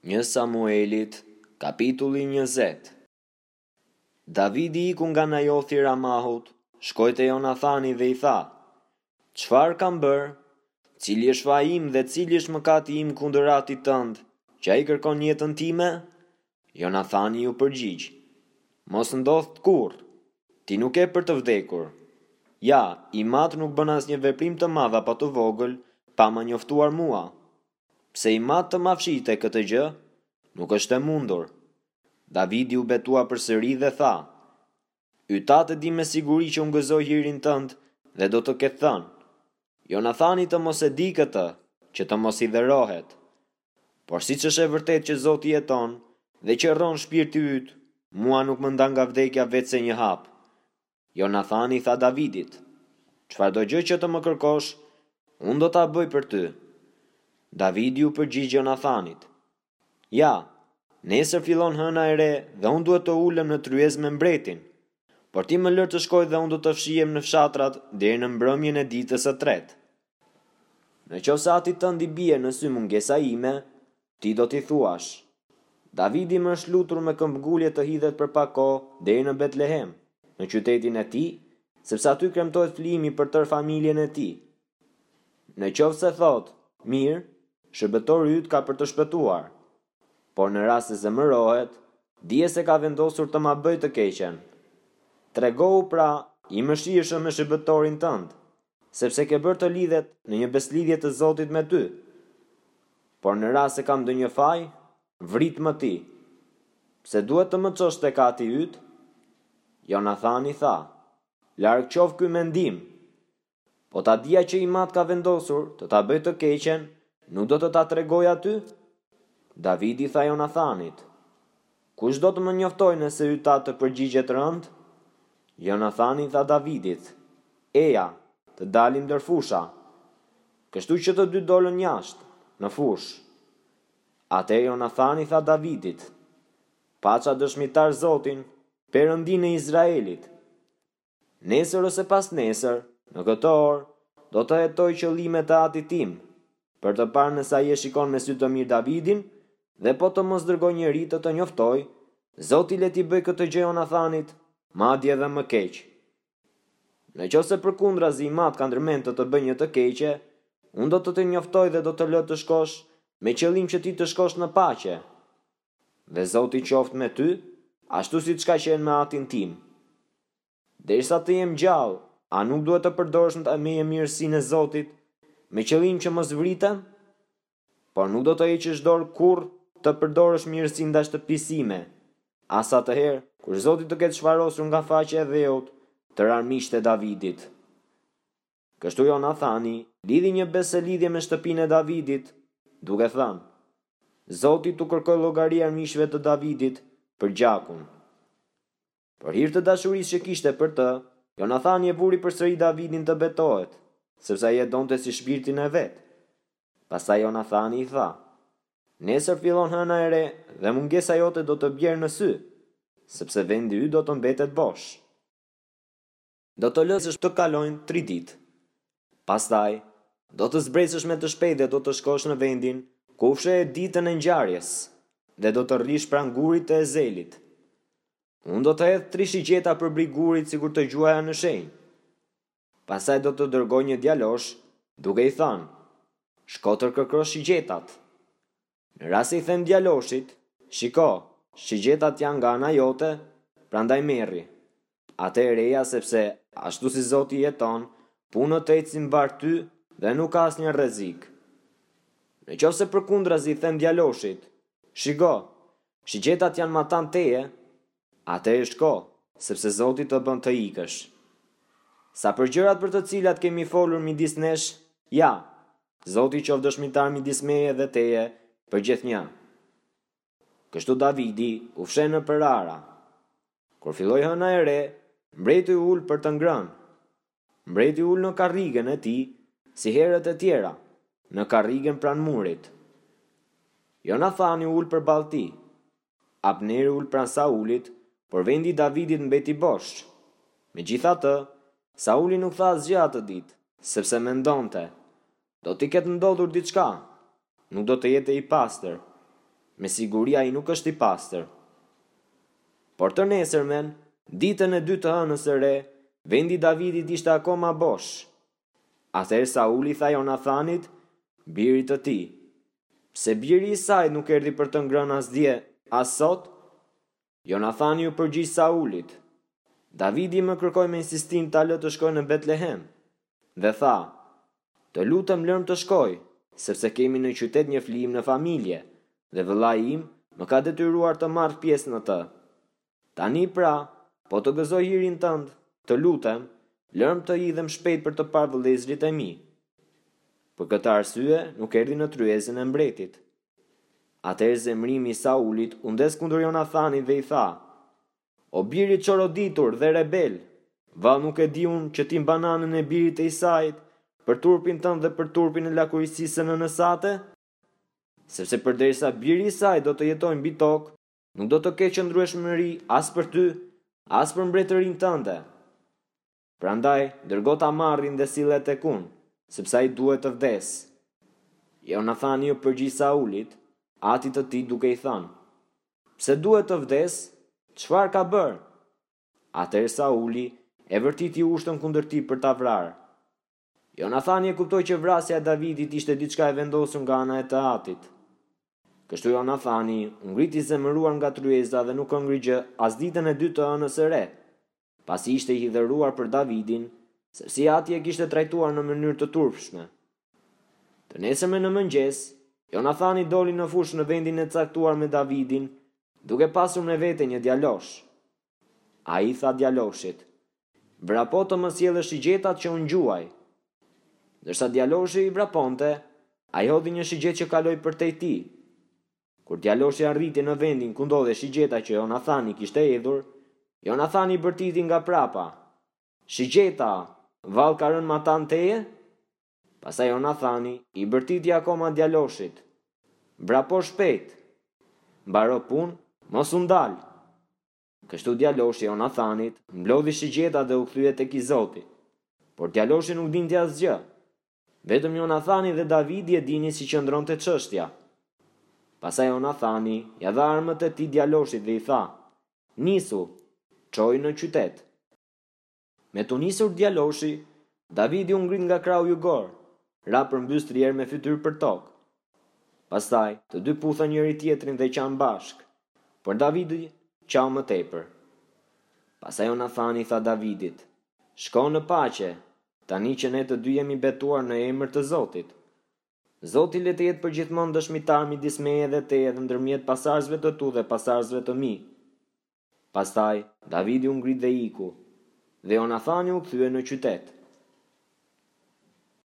Një Samuelit, kapitulli 20 Davidi iku nga Najothi i Ramahut, shkoi te Jonathani dhe i tha, Çfarë kam bërë? Cili është faji im dhe cili është mëkati im kundër atit tënd, që ai kërkon jetën time? Jonathani iu përgjigj, Mos ndodhtë kurrë! Ti nuk ke për të vdekur. Ja, im atë nuk bën asnjë veprim të madh apo të vogël pa më njoftuar mua. Pse im atë të ma fshihte këtë gjë? Nuk është e mundur. Davidi u betua përsëri dhe tha, Yt atë e di me siguri që unë gëzoj hirin tënd dhe do të ketë thënë, Jonathani të mos e dijë këtë, që të mos hidhërohet. Por siç është e vërtetë që Zoti jeton dhe që rron shpirti yt, mua nuk më ndan nga vdekja veçse një hap. Jonathani i tha Davidit, Çfarëdo gjë që të më kërkosh, unë do ta bëj për ty. Davidi iu përgjigj Jonathanit, Ja, nesër fillon hëna e re dhe unë duhet të ulem në tryezë me mbretin. Por ti më lër të shkoj dhe unë do të fshihem në fshatrat deri në mbrëmjen e ditës së tretë. Në qoftë se atit tënd i bie në sy mungesa ime, ti do t'i thuash, Davidi më është lutur me këmbëngulje të hidhet për pak kohë deri në Betlehem, në qytetin e tij, sepse aty kremtohet flijimi për tërë familjen e tij. Në qoftë se thotë, Mirë, shërbëtori yt ka për të shpëtuar. Por në rast se zemërohet, dije se ka vendosur të ma bëjë të keqen. Tregohu, pra, i mëshirshëm me shërbëtorin tënd, sepse ke bërë të lidhet në një besëlidhje të Zotit me ty. Por në rast se kam ndonjë faj, vritmë ti. Pse duhet të më çosh tek ati yt? Jonathani tha, Larg qoftë ky mendim! Po ta dija që im atë ka vendosur të ta bëjë të keqen, nuk do të ta tregoja ty? Davidi i tha Jonathanit, Kush do të më njoftojë nëse yt atë të përgjigjet rëndë? Jonathani i tha Davidit, Eja, të dalim ndër fusha. Kështu që të dy dolën jashtë, në fushë. Atëherë Jonathani i tha Davidit, Paça dëshmitar Zotin, Perëndinë e Izraelit! Nesër ose pasnesër, në këtë orë, do të hetoj qëllimet e atit tim, për të parë nëse ai e shikon me sy të mirë Davidin, dhe po të mos dërgojë njeri të të njoftojë, Zoti le t'i bëjë këtë gjë Jonathanit, madje edhe më keq. Në qoftë se përkundrazi im atë ka ndërmend të të bëjë një të keqe, unë do të të njoftoj dhe do të lë të shkosh, me qëllim që ti të shkosh në paqe. Dhe Zoti qoftë me ty, ashtu siç ka qenë me atin tim. Derisa të jem gjallë, a nuk duhet të përdorësh ndaj meje mirësinë e Zotit, me qëllim që mos vritem? Por nuk do të heqësh dorë kurrë të përdorësh mirësinë ndaj shtëpisë sime, as atëherë kur Zoti të ketë shfarosur nga faqja e dheut tërë armiqtë e Davidit. Kështu Jonathani lidhi një besëlidhje me shtëpinë e Davidit, duke thënë, Zoti t'u kërkojë llogari armiqve të Davidit për gjakun. Për hir të dashurisë që kishte për të, Jonathani e vuri përsëri Davidin të betohet, sepse ai e donte si shpirtin e vet. Pastaj Jonathani i tha, Nesër fillon hëna e re dhe mungesa jote do të bjerë në sy, sepse vendi yt do të mbetet bosh. Do të lësh të kalojnë tri ditë. Pastaj, do të zbresësh me të shpejtë dhe do të shkosh në vendin ku u fshehe ditën e ngjarjes dhe do të rrish pranë gurit të Ezelit. Unë do të hedh tri shigjeta përbri gurit sikur të gjuaja në shenjë. Pastaj do të dërgoj një djalosh, duke i thënë, Shko të kërkosh shigjetat. Në rast se i them djaloshit, Shiko, shigjetat janë nga ana jote, prandaj merri. Atëherë eja sepse, ashtu si Zoti jeton, punët të ecin mbarë ty dhe nuk ka asnjë rrezik. Në qoftë se përkundrazi i them djaloshit, Shiko, shigjetat janë matanë teje, atëherë shko, sepse Zoti të bën të ikësh. Sa për gjërat për të cilat kemi folur midis nesh, ja, Zoti qoftë dëshmitar midis meje dhe teje përgjithnjë. Kështu Davidi u fsheh nëpër ara. Kur filloi hëna e re, mbreti u ul për të ngrënë. Mbreti u ul në karrigen e tij, si herët e tjera, në karrigen pranë murit. Jonathani u ul përballë tij. Abneri u ul pranë Saulit, por vendi i Davidit mbeti bosh. Megjithatë, Sauli nuk tha asgjë atë ditë, sepse mendonte, Do t'i ketë ndodhur diçka, nuk do të jetë i pastër. Me siguri ai nuk është i pastër. Por të nesërmen, ditën e dytë të hënës së re, vendi i Davidit ishte akoma bosh. Atëherë Sauli i tha Jonathanit, birit të tij, Pse biri i Isait nuk erdhi për të ngrënë as dje, as sot? Jonathani iu përgjigj Saulit, Davidi më kërkoi me insistim ta lë të shkojë në Betlehem. Dhe tha, Të lutem lërmë të shkoj, sepse kemi në qytet një flijim në familje, dhe vëllai im më ka detyruar të marr pjesë në të. Tani pra, po të gëzoj hirin tënd, të lutem, lërmë të hidhem shpejt për të parë vëllezërit e mi. Për këtë arsye nuk erdhi në tryezën e mbretit. Atëherë zemërimi i Saulit u ndez kundër Jonathanit dhe i tha, O bir i çoroditur dhe rebel, vallë nuk e di unë që ti mban anën e birit të Isait, për turpin tënd dhe për turpin e lakuriqësisë së nënës sate? Sepse përderisa biri i Isait do të jetojë mbi tokë, nuk do të ketë qëndrueshmëri as për ty, as për mbretërinë tënde. Prandaj, dërgo ta marrin dhe sille tek unë, sepse ai duhet të vdesë. Jonathani iu përgjigj Saulit, atit të tij duke i thënë, Pse duhet të vdesë? Çfarë ka bërë? Atëherë Sauli e vërtiti ushtën kundër tij për ta vrarë. Jonathani e kuptoi që vrasja e Davidit ishte diçka e vendosur nga ana e të atit. Kështu Jonathani u ngrit i zemëruar nga tryeza dhe nuk hëngri gjë as ditën e dytë të hënës së re, pasi ishte i hidhëruar për Davidin, sepse i ati e kishte trajtuar në mënyrë të turpshme. Të nesërmen në mëngjes, Jonathani doli në fushë në vendin e caktuar me Davidin, duke pasur me vete një djalosh. Ai i tha djaloshit, Vrapo të më sjellësh shigjetat që unë gjuaj. Ndërsa djaloshi vraponte, ai hodhi një shigjetë që kaloi përtej tij. Kur djaloshi arriti në vendin ku ndodhej shigjeta që Jonathani kishte hedhur, Jonathani bërtiti nga prapa, Shigjeta, vallë ka rënë matanë teje? Pastaj Jonathani i bërtiti akoma djaloshit, Vrapo shpejt! Mbaro punë, mos u ndal! Kështu djaloshi i Jonathanit mblodhi shigjetat dhe u kthye tek i zoti. Por djaloshi nuk dinte asgjë. Vetëm Jonathani dhe Davidi e dinin si qëndronte çështja. Pastaj Jonathani ia dha armët e tij djaloshit dhe i tha, Nisu, çoji në qytet. Me t'u nisur djaloshi, Davidi u ngrit nga krahu jugor, ra përmbys tri herë me fytyrë për tokë. Pastaj, të dy puthën njëri-tjetrin dhe qanë bashkë, por Davidi qau më tepër. Pastaj Jonathani i tha Davidit, Shko në paqe, tani që ne të dy jemi betuar në emër të Zotit. Zoti le të jetë përgjithmonë dëshmitar midis meje dhe teje dhe ndërmjet pasardhësve të tu dhe pasardhësve të mi. Pastaj, Davidi u ngrit dhe iku, dhe Jonathani u kthye në qytet.